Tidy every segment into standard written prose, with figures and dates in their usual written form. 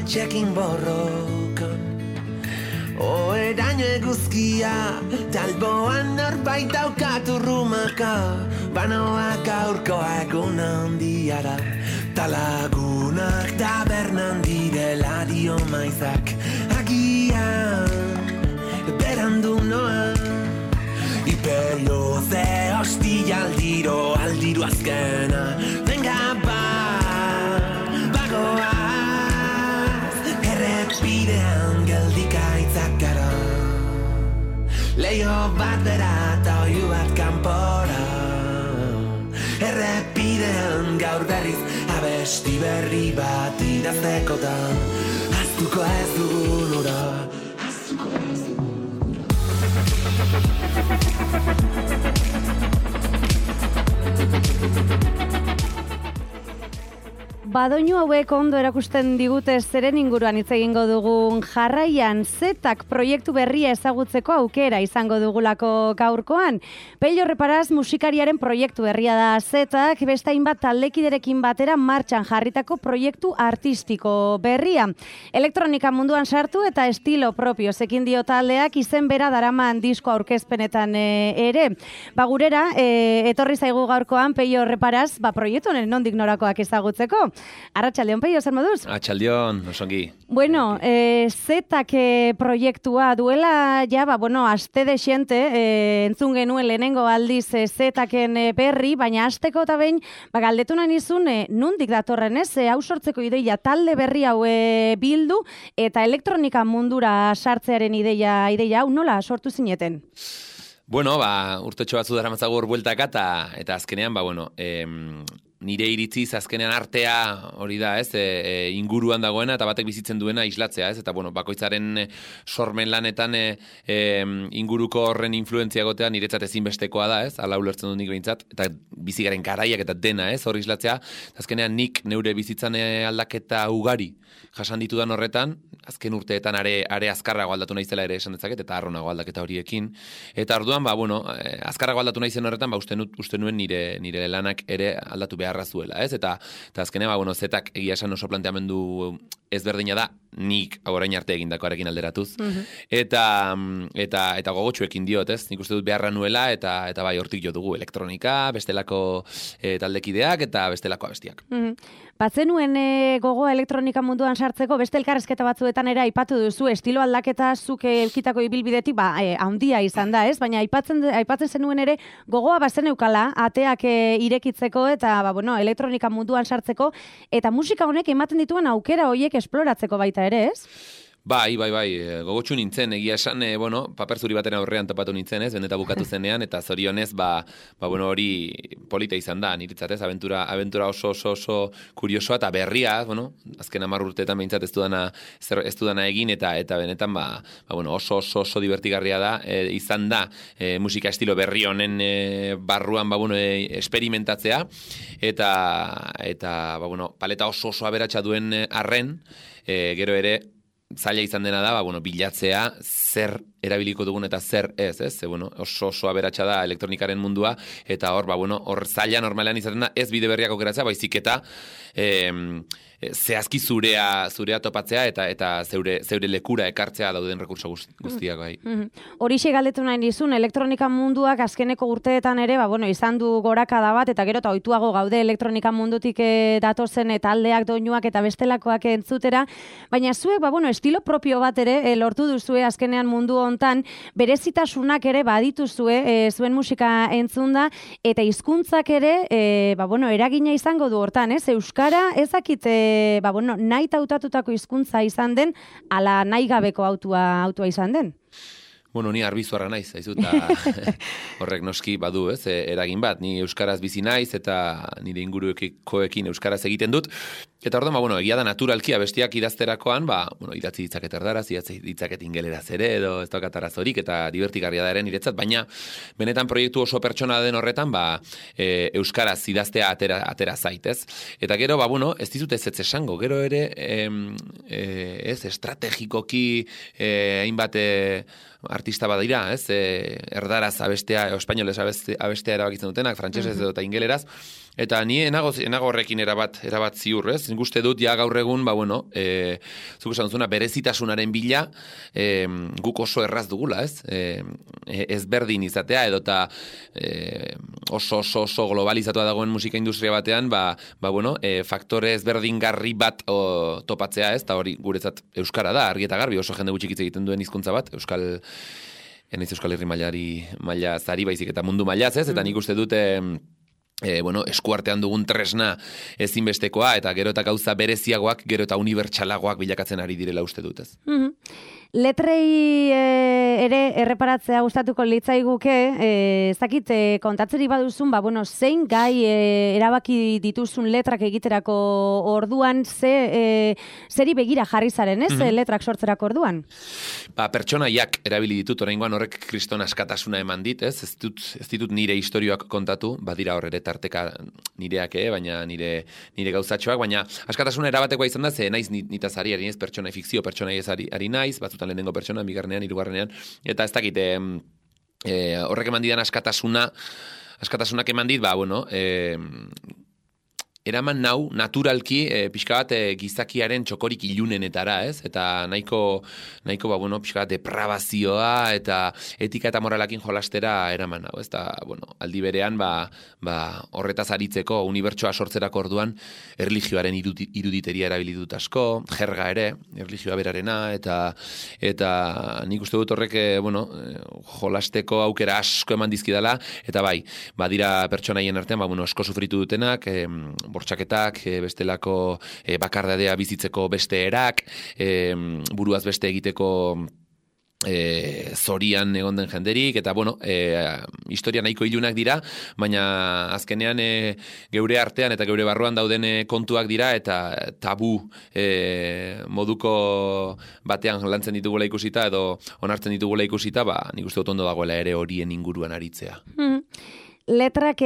etxekin borrokan. Oeraino eguzkia, talboan norbait daukatu rumaka, banoak aurkoa egun handiara, talagunak tabernan direla dio maizak, agian berandu noa. Iperio ze hostia aldiro azkena, venga bagoaz, errepidean geldikaitzak gara. Leio bat bera eta oiu bat kanpora, errepidean gaur berriz abesti berri bat idaztekotan, ahaztuko ez dugun ura. Badoinu hauek ondo erakusten digute zeren inguruan hitz egingo dugun. Jarraian Zetak proiektu berria ezagutzeko aukera izango dugulako gaurkoan. Pello Reparaz musikariaren proiektu berria da Zetak, beste hainbat taldekiderekin batera martxan jarritako proiektu artistiko berria. Elektronika munduan sartu eta estilo propio zekin dio taldeak izen bera daraman disko aurkezpenetan ere. Gurera, etorri zaigu gaurkoan Pello Reparaz, proiektu honen nondik norakoak ezagutzeko. Arratsaldeon, Pello, zer moduz? Arratsaldeon, osongi. Bueno, Zetak proiektua duela, aste dexente, entzun genuen lehenengo aldiz Zetaken berri, baina asteko eta behin, galdetu nahi nizun, nondik datorren ez, hau sortzeko ideia, talde berri hau bildu, eta elektronika mundura sartzearen ideia hau nola sortu zineten? Bueno, urtetxo batzu daramatzago hor bueltaka, eta azkenean, nire iritziz azkenean artea hori da, ez, inguruan dagoena eta batek bizitzen duena islatzea, ez, eta bakoitzaren sormen lanetan inguruko horren influentzia gotea niretzat ezinbestekoa da, ez, ala ulertzen dut nik behintzat, eta bizigaren garaiak eta dena, ez, hor islatzea, azkenean nik neure bizitzan aldaketa ugari jasan ditudan horretan, azken urteetan are azkarrago aldatu naizela ere esan dezaket, eta arronago aldaketa horiekin, eta orduan, azkarrago aldatu naizen horretan, uste nuen nire lanak ere aldatu beharra zuela, ez? Eta azkenean, Zetak egia esan oso planteamendu ezberdina da, nik orain arte egindakoarekin alderatuz. Eta gogotsuekin diot, ez? Nik uste dut beharra nuela, eta hortik jo dugu elektronika, bestelako taldekideak eta bestelako abestiak. Batzenuen gogoa elektronika munduan sartzeko, beste elkarrezketa batzuetan ere aipatu duzu, estilo aldaketa zuk elkitako ibilbidetik, handia izan da, ez? Baina aipatzen zenuen ere gogoa bazen eukala, ateak irekitzeko eta elektronika munduan sartzeko, eta musika honek ematen dituen aukera horiek esploratzeko baita ere, ez? Bai, gogotsu nintzen, egia esan, paper zuri baten aurrean topatu nintzen, ez, bendeta bukatu zenean, eta zorionez, hori polita izan da, niretzat, ez, aventura oso kuriosoa, eta berria, azken 10 urteetan behintzat ez dudana egin, eta benetan, oso divertigarria da, izan da, musika estilo berri honen barruan, experimentatzea, eta paleta oso aberatsa duen arren, gero ere, zaila izan dena da, bilatzea zer erabiliko dugun eta zer ez, oso aberatsa da elektronikaren mundua, eta hor zaila normalean izaten da, ez bide berriak aukeratzea, baizik eta zehazki zurea topatzea eta zeure lekura ekartzea dauden rekurso guztiak bai. Horixe galdetu nahi nizun, elektronika munduak azkeneko urteetan ere, izan du gorakada bat, eta gero eta ohituago gaude elektronika mundutik datozen taldeak, doinuak eta bestelakoak entzutera, baina zuek, estilo propio bat ere lortu duzue azkenean mundu hontan, berezitasunak ere badituzue zuen musika entzunda, eta hizkuntzak ere, eragina izango du hortan, ez? Euskara ezakite nahi hautatutako hizkuntza izan den, ala nahi gabeko autua izan den? Ni arbizuarra naiz, eta horrek noski badu, ez, eragin bat, ni euskaraz bizi naiz, eta nire ingurukoekin euskaraz egiten dut, eta orduan, egia da naturalki abestiak idazterakoan, idatzi ditzaket erdaraz, idatzi ditzaket ingeleraz ere, edo ez daukat arazorik, eta divertigarria da ere niretzat, baina benetan proiektu oso pertsona den horretan, euskaraz idaztea atera zaitez. Eta gero, ez dizut ez esango, gero ere, estrategikoki hainbat artista badira, ez? Erdaraz abestea, espainolez abestea erabakitzen dutenak, frantsesez edo eta ingeleraz, eta ni enago horrekin erabat ziur, ez? Nik uste dut, ja gaur egun, zuk esan duzuna, berezitasunaren bila, guk oso erraz dugula, ez? Ezberdin izatea, edo eta oso globalizatua dagoen musika industria batean, faktore ezberdingarri bat topatzea, ez? Eta hori guretzat euskara da, argi eta garbi, oso jende gutxik hitz egiten duen hizkuntza bat, Euskal Herri maila zari baizik eta mundu mailaz, ez? Eta nik uste dute eskuartean dugun tresna ezinbestekoa, eta gero eta gauza bereziagoak, gero eta unibertsalagoak bilakatzen ari direla uste dut, ez? Letrei ere erreparatzea gustatuko litzaiguke, ezakit kontatzeri baduzun, zein gai erabaki dituzun letrak egiterako orduan, zeri begira jarri zaren, ez? Letrak sortzerako orduan? Pertsonaiak erabili ditut, oraingoan horrek kriston askatasuna eman dit, ez? Ez ditut nire istorioak kontatu, badira hor ere tarteka nireak, baina nire gauzatxoak, baina askatasuna erabatekoa izan da, ze naiz nitaz ari ez fikzio pertsonai ez ari naiz, batzutan lehenengo pertsona, bigarrenean, hirugarrenean, eta ez dakit, horrek eman didan askatasunak eman dit, eraman nau, naturalki, pixka bat gizakiaren txokorik ilunenetara, ez? Eta nahiko pixka bat depravazioa eta etika eta moralakin jolastera eraman nau, ez? Eta, aldi berean, horretaz aritzeko, unibertsoa sortzerako orduan, erlijioaren iruditeria erabili dut asko, jerga ere, erlijioa berarena, eta nik uste dut horrek, jolasteko aukera asko eman dizkidala, eta badira pertsonaien artean, asko sufritu dutenak, bortxaketak, bestelako bakardadea bizitzeko beste erak, buruaz beste egiteko zorian egon den jenderik, eta historia nahiko ilunak dira, baina azkenean geure artean eta geure barruan dauden kontuak dira, eta tabu moduko batean lantzen ditugula ikusita, edo onartzen ditugula ikusita, nik uste dut ondo dagoela ere horien inguruan aritzea. Letrak,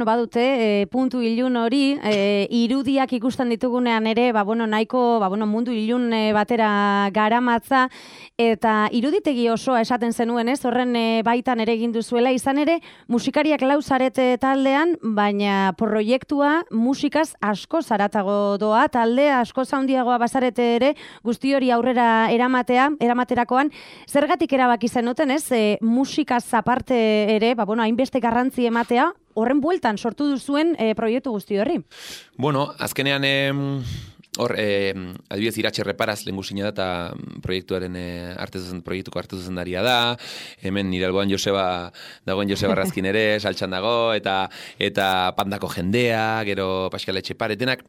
badute, puntu ilun hori, irudiak ikusten ditugunean ere, nahiko, mundu ilun batera garamatza, eta iruditegi osoa esaten zenuen, ez? Horren baitan ere egin duzuela, izan ere, musikariak lau zarete taldean, baina proiektua musikaz asko zaratago doa, talde asko zaundiagoa bazarete ere, guzti hori aurrera eramaterakoan, zergatik erabaki zenuten, ez? Musikaz aparte ere, hainbeste garrantzi ematea, horren bueltan sortu duzuen proiektu guzti horri. Azkenean adibidez Iratxe Reparaz lehengusina da eta proiektuaren proiektuko hartu zuzendaria da, hemen nire alboan dagoen Joseba Razkin ere, saltxan dago, eta pandako jendea, gero Pascal Etxepare, denak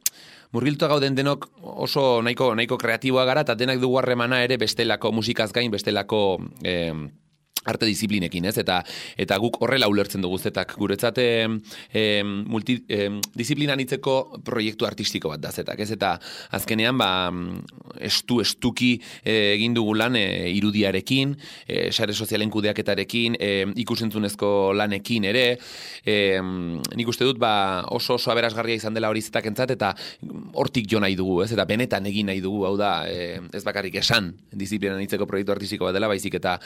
murgiltua gauden denok oso nahiko kreatiboa gara, eta denak dugu harremana ere bestelako musikaz gain, bestelako arte disiplinekin, ez? Eta guk horrela ulertzen dugu zetak. Guretzat multidisiplinan hitzeko proiektu artistiko bat da zetak, ez? Eta azkenean estuki egin dugu lan irudiarekin, sare sozialen kudeaketarekin, ikusentzunezko lanekin ere, nik uste dut oso aberasgarria izan dela hori zetakentzat, eta hortik jo nahi dugu, ez? Eta benetan egin nahi dugu, hau da, ez bakarrik esan disiplinan hitzeko proiektu artistiko bat dela, baizik eta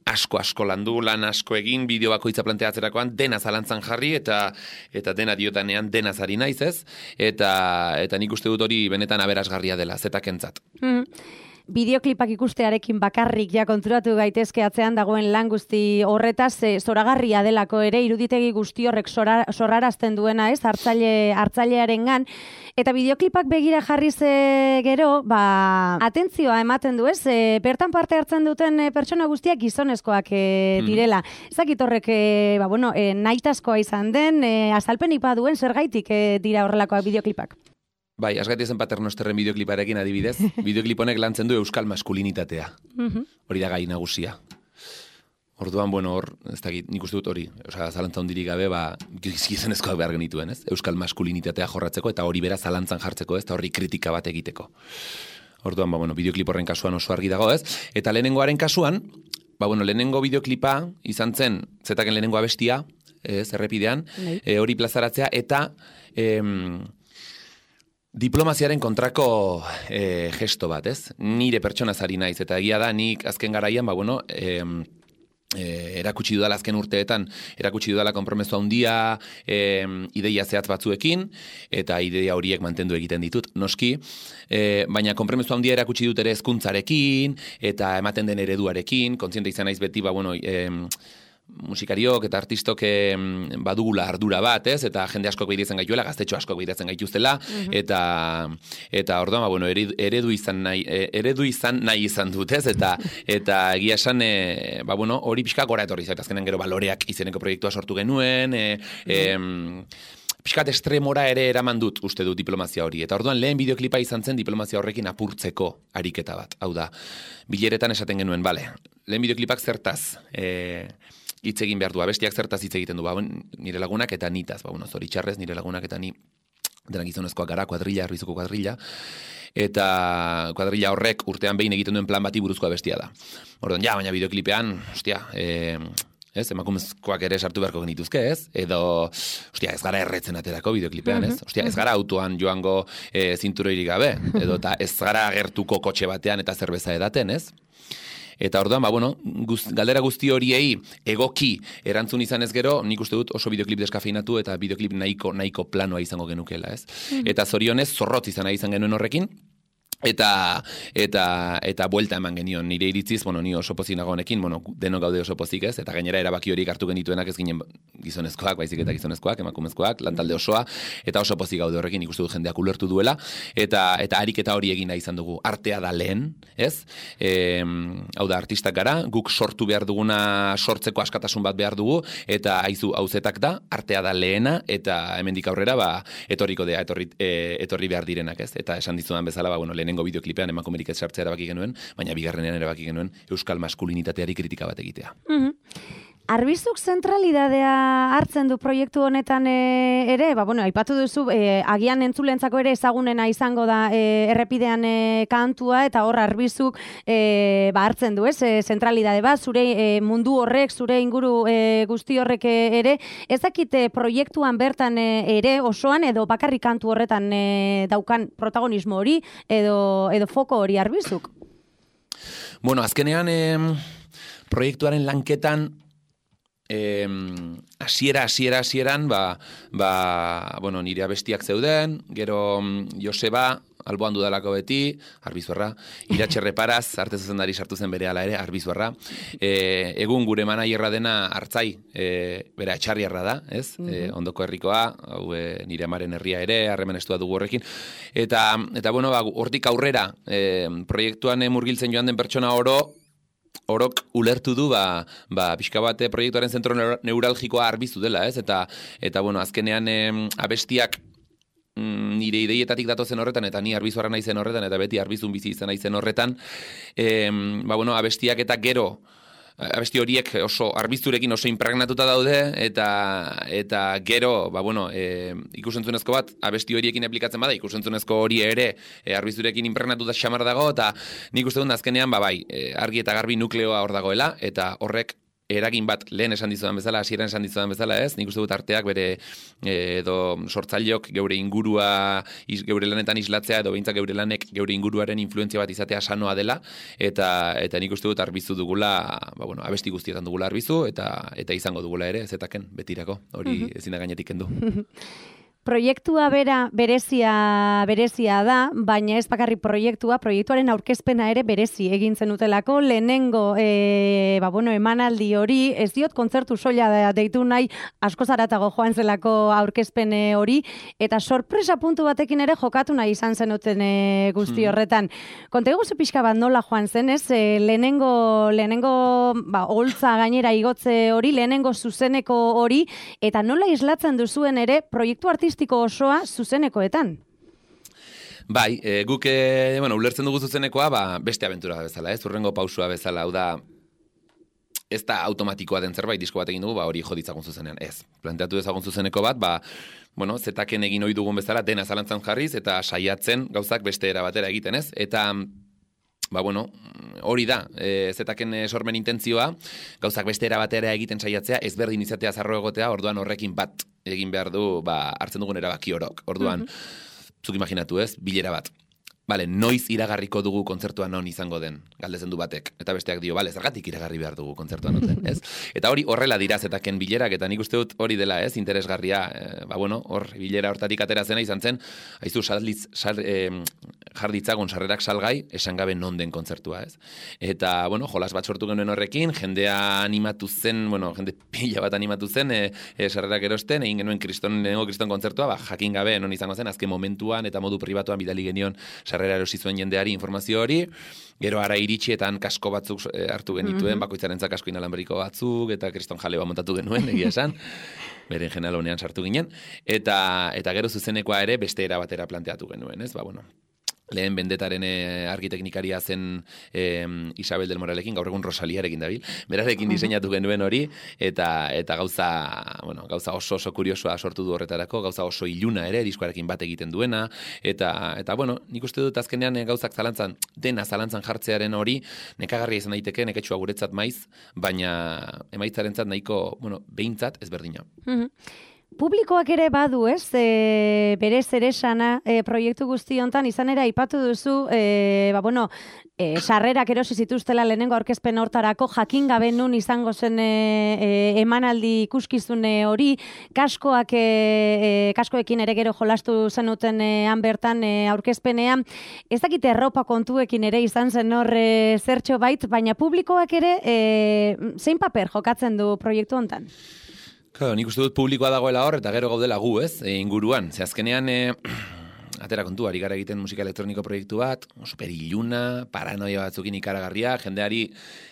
asko landu, lan asko egin, bideo bakoitza planteatzerakoan dena zalantzan jarri, eta dena diotanean dena zari naiz, ez? Eta nik uste dut hori benetan aberasgarria dela, zetakentzat. Bideoklipak ikustearekin bakarrik ja konturatu gaitezke atzean dagoen lan guzti horretaz, zoragarria delako ere, iruditegi guzti horrek sorrarazten duena, ez? Hartzailearengan. Eta bideoklipak begira jarriz gero, atentzioa ematen du, ez? Bertan parte hartzen duten pertsona guztiak gizonezkoak direla. Ezakit horrek, nahitazkoa izan den, azalpenik baduen zergaitik dira horrelakoak bideoklipak. Bai, asgaitia zen Paternosterren bideokliparekin adibidez, bideoklip honek lantzen du euskal maskulinitatea. Hori da gai nagusia. Orduan, ez dakit, nik uste dut hori, zalantza hondirik gabe, gizonezkoak behar genituen, ez? Euskal maskulinitatea jorratzeko, eta hori bera zalantzan jartzeko, ez? Eta horri kritika bat egiteko. Orduan, bideoklip horren kasuan oso argi dago, ez? Eta lehenengoaren kasuan, lehenengo bideoklipa izan zen, zetaken lehenengo abestia, ez, errepidean, hori plazaratzea, eta Diplomaziaren kontrako gesto bat, ez? Nire pertsonaz ari naiz, eta egia da, nik azken garaian, erakutsi dudala azken urteetan, erakutsi dudala konpromezu handia ideia zehatz batzuekin, eta ideia horiek mantendu egiten ditut, noski, baina konpromezu handia erakutsi dut ere hezkuntzarekin, eta ematen den ereduarekin, kontziente izan naiz beti, musikariok eta artistok badugula ardura bat, ez? Eta jende askok begiratzen gaituela, gaztetxo askok begiratzen gaituztela, eta orduan, eredu izan nahi izan dut, ez? Eta egia esan, hori pixka gora etorri zait, azkenen gero baloreak izeneko proiektua sortu genuen, pixkat estremora ere eraman dut, uste dut, diplomazia hori. Eta orduan lehen bideoklipa izan zen diplomazia horrekin apurtzeko ariketa bat. Hau da, bileretan esaten genuen, lehen bideoklipak zertaz hitz egin behar du, abestiak zertaz hitz egiten du, nire lagunak eta nitaz, zoritxarrez, nire lagunak eta ni denak gizonezkoak gara, Arbizuko kuadrilla, eta kuadrilla horrek urtean behin egiten duen plan bati buruzko abestia da. Orduan, baina bideoklipean, emakumezkoak ere sartu beharko genituzke, ez? Edo, ez gara erretzen aterako bideoklipean, ez? Ez gara autoan joango zinturoirik gabe, edo ez gara agertuko kotxe batean eta zerbeza edaten, ez? Eta orduan, galdera guzti horiei egoki erantzun izan ez gero, nik uste dut oso bideoklip deskafeinatu eta bideoklip nahiko planoa izango genukela, ez? Eta zorionez, zorrotz izan genuen horrekin, eta buelta eman genion nire iritziz, ni oso pozik nago honekin, denok gaude oso pozik, ez? Eta gainera erabaki horiek hartu genituenak ez ginen gizonezkoak, baizik eta gizonezkoak, emakumezkoak, lantalde osoa, eta oso pozik gaude horrekin, ikustu dut jendeak ulertu duela, eta ariketa hori egin nahi izan dugu, artea da lehen, ez? Hau da, artistak gara, guk sortu behar duguna sortzeko askatasun bat behar dugu, eta hauzetak da, artea da lehena, eta hemendik aurrera, etorriko dea, etorri behar direnak, ez? Eta esan dizudan bezala, lehenengo bideoklipean emakumerik ez sartzea erabaki genuen, baina bigarrenean erabaki genuen euskal maskulinitateari kritika bat egitea. Arbizuk zentralidadea hartzen du proiektu honetan ere, aipatu duzu, agian entzulentzako ere ezagunena izango da errepidean kantua, eta hor Arbizuk hartzen du, zentralidade bat, zure mundu horrek, zure inguru guzti horrek ere, ez dakite proiektuan bertan ere osoan, edo bakarrik kantu horretan daukan protagonismo hori, edo foko hori Arbizuk? Azkenean proiektuaren lanketan hasieran nire abestiak zeuden, gero Joseba, alboan dudalako beti, Arbizuarra, Iratxe Reparaz, arte zuzendari sartu zen bere ala ere, Arbizuarra, egun gure manaierra dena Artzai, bera Etxarriarra da, ez? Ondoko herrikoa, nire amaren herria ere, harreman estua dugu horrekin, eta hortik aurrera, proiektuan murgiltzen joan den pertsona orok ulertu du pixka bat proiektuaren zentro neuralgikoa Arbizu dela, ez? Eta azkenean abestiak nire ideietatik datozen horretan, eta ni Arbizuarra naizen horretan, eta beti Arbizun bizi izan naizen horretan, abestiak eta gero, abesti horiek oso Arbizurekin oso impregnatuta daude, eta gero, ikusentzunezko bat, abesti horiekin aplikatzen bada, ikusentzunezko hori ere Arbizurekin impregnatuta xamar dago, eta nik uste dut azkenean, argi eta garbi nukleoa hor dagoela, eta horrek eragin bat lehen esan dizudan bezala, hasieran esan dizudan bezala, ez? Nik uste dut arteak bere edo sortzaileok geure ingurua, geure lanetan islatzea, edo behintzak geure lanek geure inguruaren influentzia bat izatea sanoa dela, eta nik uste dut Arbizu dugula, abesti guztietan dugula Arbizu, eta izango dugula ere, zetaken, betirako, hori ezin da gainetik kendu. Proiektua berezia da, baina ez bakarrik proiektuaren aurkezpena ere berezi egin zenutelako, lehenengo emanaldi hori, ez diot kontzertu soila deitu nahi, asko zaratago joan zelako aurkezpen hori, eta sorpresa puntu batekin ere jokatu nahi izan zenuten guzti horretan. Konta eguzu pixka bat nola joan zen, ez? Lehenengo holtza gainera igotze hori, lehenengo zuzeneko hori, eta nola islatzen duzuen ere proiektu artistiko osoa zuzenekoetan? Bai, guk ulertzen dugu zuzenekoa, beste abentura bezala, ez? Urrengo pausua bezala, hau da, ez da automatikoa den zerbait, disko bat egin dugu, hori joditzagun zuzenean, ez. Planteatu dezagun zuzeneko bat, zetaken egin ohi dugun bezala, dena zalantzan jarriz, eta saiatzen gauzak beste era batera egiten, ez? Eta hori da, zetaken sormen intentzioa, gauzak beste era batera egiten saiatzea, ezberdin izatea zarro egotea, orduan horrekin bat egin behar du, hartzen dugun erabaki orok. Orduan, zuk imaginatu ez, bilera bat. Bale, noiz iragarriko dugu kontzertuan non izango den, galdetzen du batek. Eta besteak dio, bale, zergatik iragarri behar dugu kontzertuan noten, ez? Eta hori horrela dira zetaken bilerak, eta nik uste dut hori dela, ez, interesgarria, hor, bilera hortatik atera zena izan zen, haizu, jarditzagon sarrerak salgai, esan gabe non den kontzertua, ez? Eta, jolas bat sortu genuen horrekin, jendea animatu zen, jende pila bat animatu zen, sarrerak erosten, egin genuen kriston kontzertua, jakin gabe non izango zen, azken momentuan eta modu pribatuan bidali genion sarrera erosi zuen jendeari informazio hori, gero ara iritxietan kasko batzuk hartu genituen, bakoitzarentzak kasko inalambriko batzuk, eta kriston jale bat montatu genuen, egia esan, beren jenalonean sartu ginen, eta gero zuzenekoa ere beste era batera planteatu genuen, ez? Lehen bendetaren arkiteknikaria zen Isabel del Moralekin, gaur egun Rosaliarekin dabil, berarekin diseinatu genuen hori, eta gauza oso kuriosoa sortu du horretarako, gauza oso iluna ere, diskoarekin bat egiten duena, eta nik uste dut azkenean gauzak zalantzan jartzearen hori, nekagarria izan daiteke, neketsua guretzat maiz, baina emaitzarentzat nahiko, behintzat ezberdina. Publikoak ere badu, ez? Bere zeresana proiektu guzti hontan izan ere aipatu duzu, sarrerak erosi zituztela lehenengo aurkezpen hortarako jakin gabe nun izango zen emanaldi ikuskizun hori, kaskoekin ere gero jolastu zenuten han bertan aurkezpenean. Ez dakit erropa kontuekin ere izan zen hor zertxo bait, baina publikoak ere zein paper jokatzen du proiektu hontan? Claro, nik uste dut publikoa dagoela hor, eta gero gaudela gu, ez, inguruan. Ze azkenean, atera kontu, ari gara egiten musika elektroniko proiektu bat, super iluna, paranoia batzukin ikaragarria, jendeari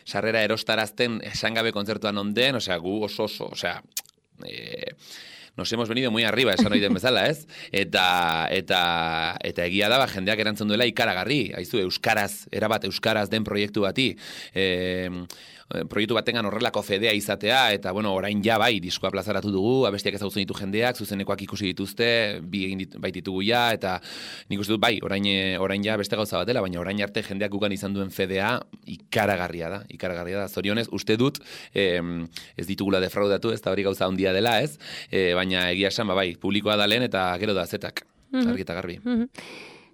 sarrera erostarazten esangabe kontzertuan onden, gu oso, nos hemos venido muy arriba, esan oiten bezala, ez? Eta egia da, jendeak erantzun duela ikaragarri, haizu, erabat euskaraz den proiektu bati, proiektu batengan horrelako fedea izatea, eta orain ja bai, diskoa plazaratu dugu, abestiak ezagutzen ditu jendeak, zuzenekoak ikusi dituzte, bi egin baititugu ja, eta nik uste dut bai, orain ja beste gauza batela, baina orain arte jendeak gugan izan duen fedea ikaragarria da, zorionez, uste dut, ez ditugula defraudatu, ez da hori gauza handia dela, ez? Baina egia esan, bai, publikoa da lehen, eta gero da zetak, argi eta garbi.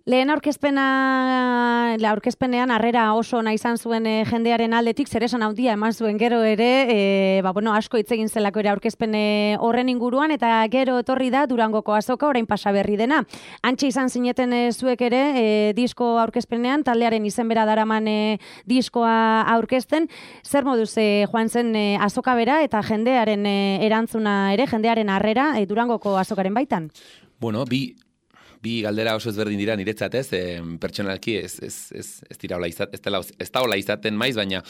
Lehen aurkezpenean harrera oso ona izan zuen jendearen aldetik, zeresan handia eman zuen gero ere, asko hitz egin zelako ere aurkezpen horren inguruan, eta gero etorri da Durangoko azoka, orain pasa berri dena. Antxe izan zineten zuek ere, disko aurkezpenean, taldearen izen bera daraman diskoa aurkezten, zer moduz joan zen azoka bera, eta jendearen erantzuna ere, jendearen harrera Durangoko azokaren baitan? Bi galdera oso ezberdin dira niretzat, ez? Pertsonalki ez da hola izaten maiz, baina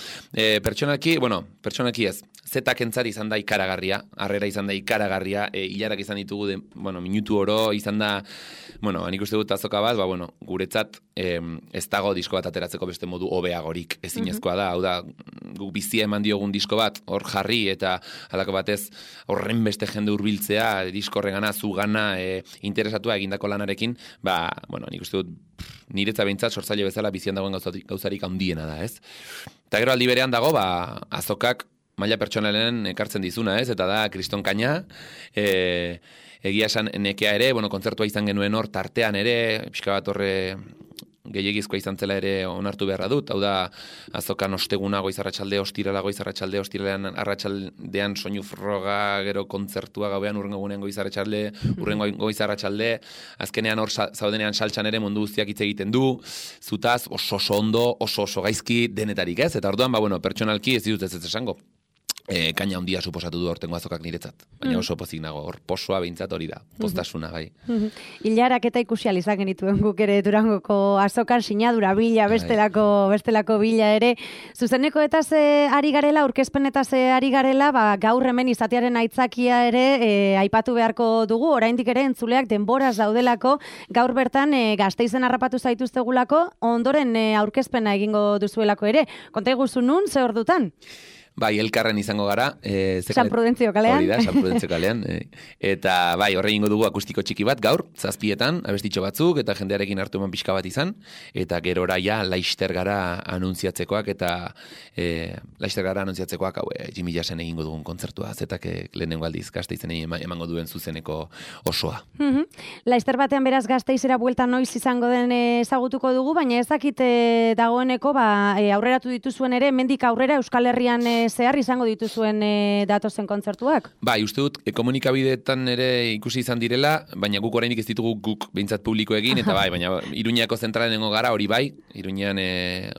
pertsonalki ez. Zetak entzari izan da ikaragarria, harrera izan da ikaragarria, hilarak izan ditugu, minutu oro izan da, nik uste dut azoka bat, guretzat ez dago disko bat ateratzeko beste modu hobeagorik ezinezkoa da, hau da, guk bizia eman diogun disko bat, hor jarri, eta halako batez horren beste jende hurbiltzea, disko horregana, zugana, interesatua egindako lanarekin, nik uste dut niretza behintzat sortzaile bezala bizian dagoen gauzarik handiena da, ez? Eta gero aldi berean dago, azokak maila pertsonalen ekartzen dizuna, ez? Eta da kriston kaina, egia esan nekea ere, kontzertua izan genuen hor, tartean ere, pixka bat horre gehiagizkoa izan zela ere onartu beharra dut, hau da azokan osteguna goizarratxalde, ostiralean arratsaldean soinu froga, gero kontzertua gauean urrengo gunean urrengo goizarratxalde, azkenean hor zaudenean saltxan ere mundu guztiak hitz egiten du, zutaz oso ondo, oso gaizki denetarik, ez? Eta orduan, pertsonalki ez ditut ez esango. Kaina handia suposatu du hortengo azokak niretzat. Baina oso pozik nago, hor posoa behintzat hori da, postasuna, bai. Hilarak eta ikusial izan genituen guk ere Durangoko azokan sinadura bila, bestelako bila ere. Zuzeneko eta ari garela, aurkezpen eta ari garela, gaur hemen izatearen aitzakia ere aipatu beharko dugu, oraindik ere entzuleak denboraz daudelako, gaur bertan Gasteizen harrapatu zaituztegulako, ondoren aurkezpena egingo duzuelako ere. Konta iguzu nun, ze ordutan? Bai, elkarren izango gara. San Prudentzio kalean. Hori da, San Prudentzio kalean. Eta bai, horre ingo dugu akustiko txiki bat gaur, 7 abestitxo batzuk, eta jendearekin hartu eman pixka bat izan, eta gerora ja laister gara anuntziatzekoak, eta hau, Jimmy Jassen egingo dugun kontzertua, zetak lehenengo aldiz Gasteizen emango duen zuzeneko osoa. Laister batean beraz Gasteizera buelta noiz izango den ezagutuko dugu, baina ez dakit dagoeneko aurreratu dituzuen ere, hemendik aurrera Euskal Herrian zehar izango dituzuen datozen kontzertuak? Bai, uste dut, komunikabideetan ere ikusi izan direla, baina guk oraindik ez ditugu guk behintzat publiko egin, eta bai, baina Iruñako zentralenengo gara, hori bai, Iruñean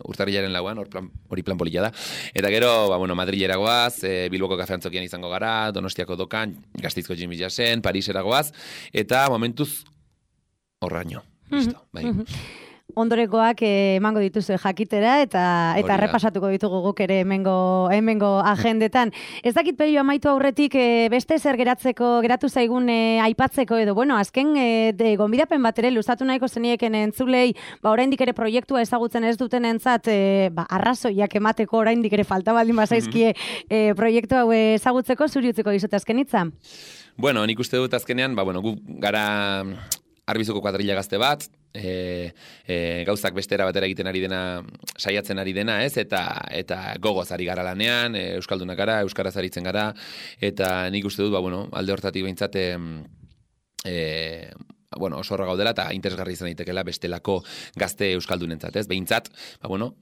urtarrilaren lauan, hori plan polilla da. Eta gero, Madrilera goaz, Bilboko kafeantzokian izango gara, Donostiako dokan, Gasteizko Jimmy Jassen, Parisera goaz, eta momentuz horraino. Listo, bai. Ondorekoak emango dituzu jakitera eta errepasatuko ditugu guk ere hemengo agendetan. Ez dakit Pello amaitu aurretik beste zer geratu zaigun aipatzeko edo, azken gonbidapen bat ere luzatu nahiko zenieken entzulei, oraindik ere proiektua ezagutzen ez dutenentzat arrazoiak emateko oraindik ere falta baldin bazaizkie proiektu hau ezagutzeko, zuri utziko dizut azken hitza. Bueno, nik uste dut azkenean, gu gara Arbizuko kuadrilla gazte bat, gauzak bestera batera egiten ari dena, saiatzen ari dena, ez? Eta gogoz ari gara lanean, euskaldunak gara, euskaraz aritzen gara, eta nik uste dut, alde hortatik behintzat, oso horra gaudela eta interesgarri izan daitekela bestelako gazte euskaldunentzat, ez? Behintzat,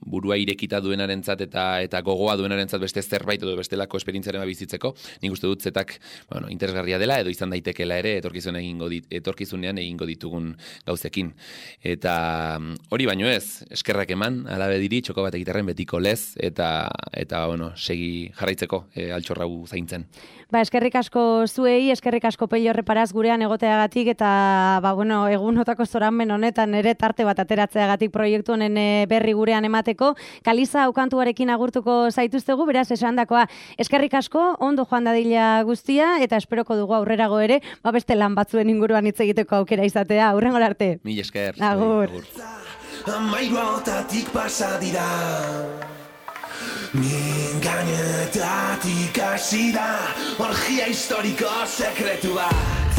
burua irekita duenarentzat eta gogoa duenarentzat beste zerbait edo bestelako esperientziaren bizitzeko, nik uste dut zetak, interesgarria dela edo izan daitekela ere etorkizunean egingo ditugun gauzekin. Eta hori baino ez, eskerrak eman, alabe diri, txoko bat egiterren betiko lez, eta segi jarraitzeko altxorrau zaintzen. Eskerrik asko zuei, eskerrik asko Pello Reparaz gurean egoteagatik eta egunotako zoranben honetan ere tarte bat ateratzeagatik proiektu honen berri gurean emateko. Kaliza aukantuarekin agurtuko zaituztegu, beraz esandakoa eskerrik asko, ondo joan dadila guztia eta esperoko dugu aurrerago ere, beste lan batzuen inguruan hitz egiteko aukera izatea. Aurrengora arte. Mil esker. Agur. Amairuautatik pasa dira, min gainetatik hasi da, orgia historiko sekretu bat.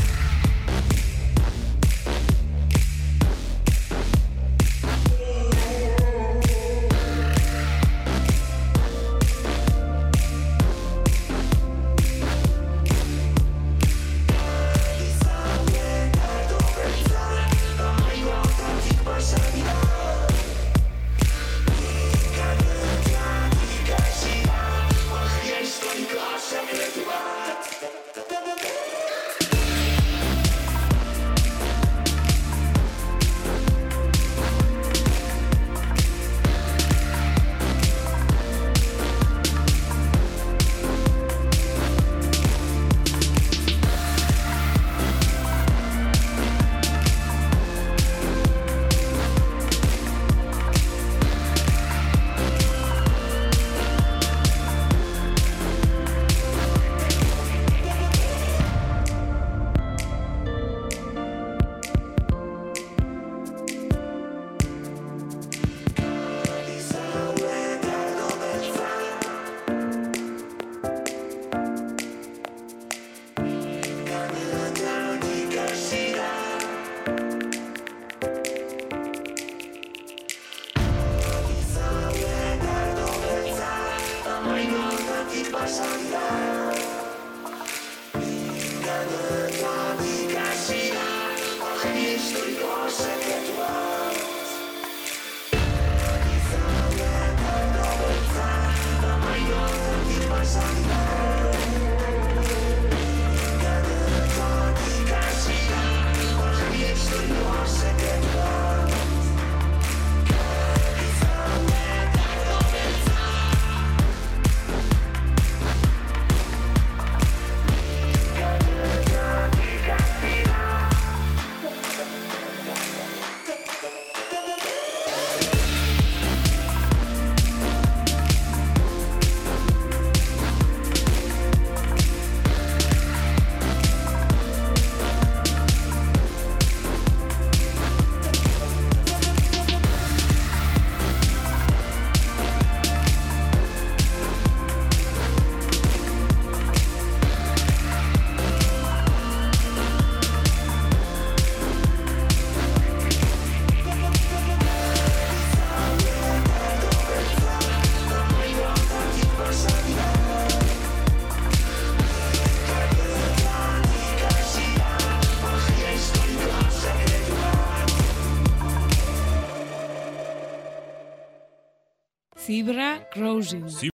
Zebra crossing.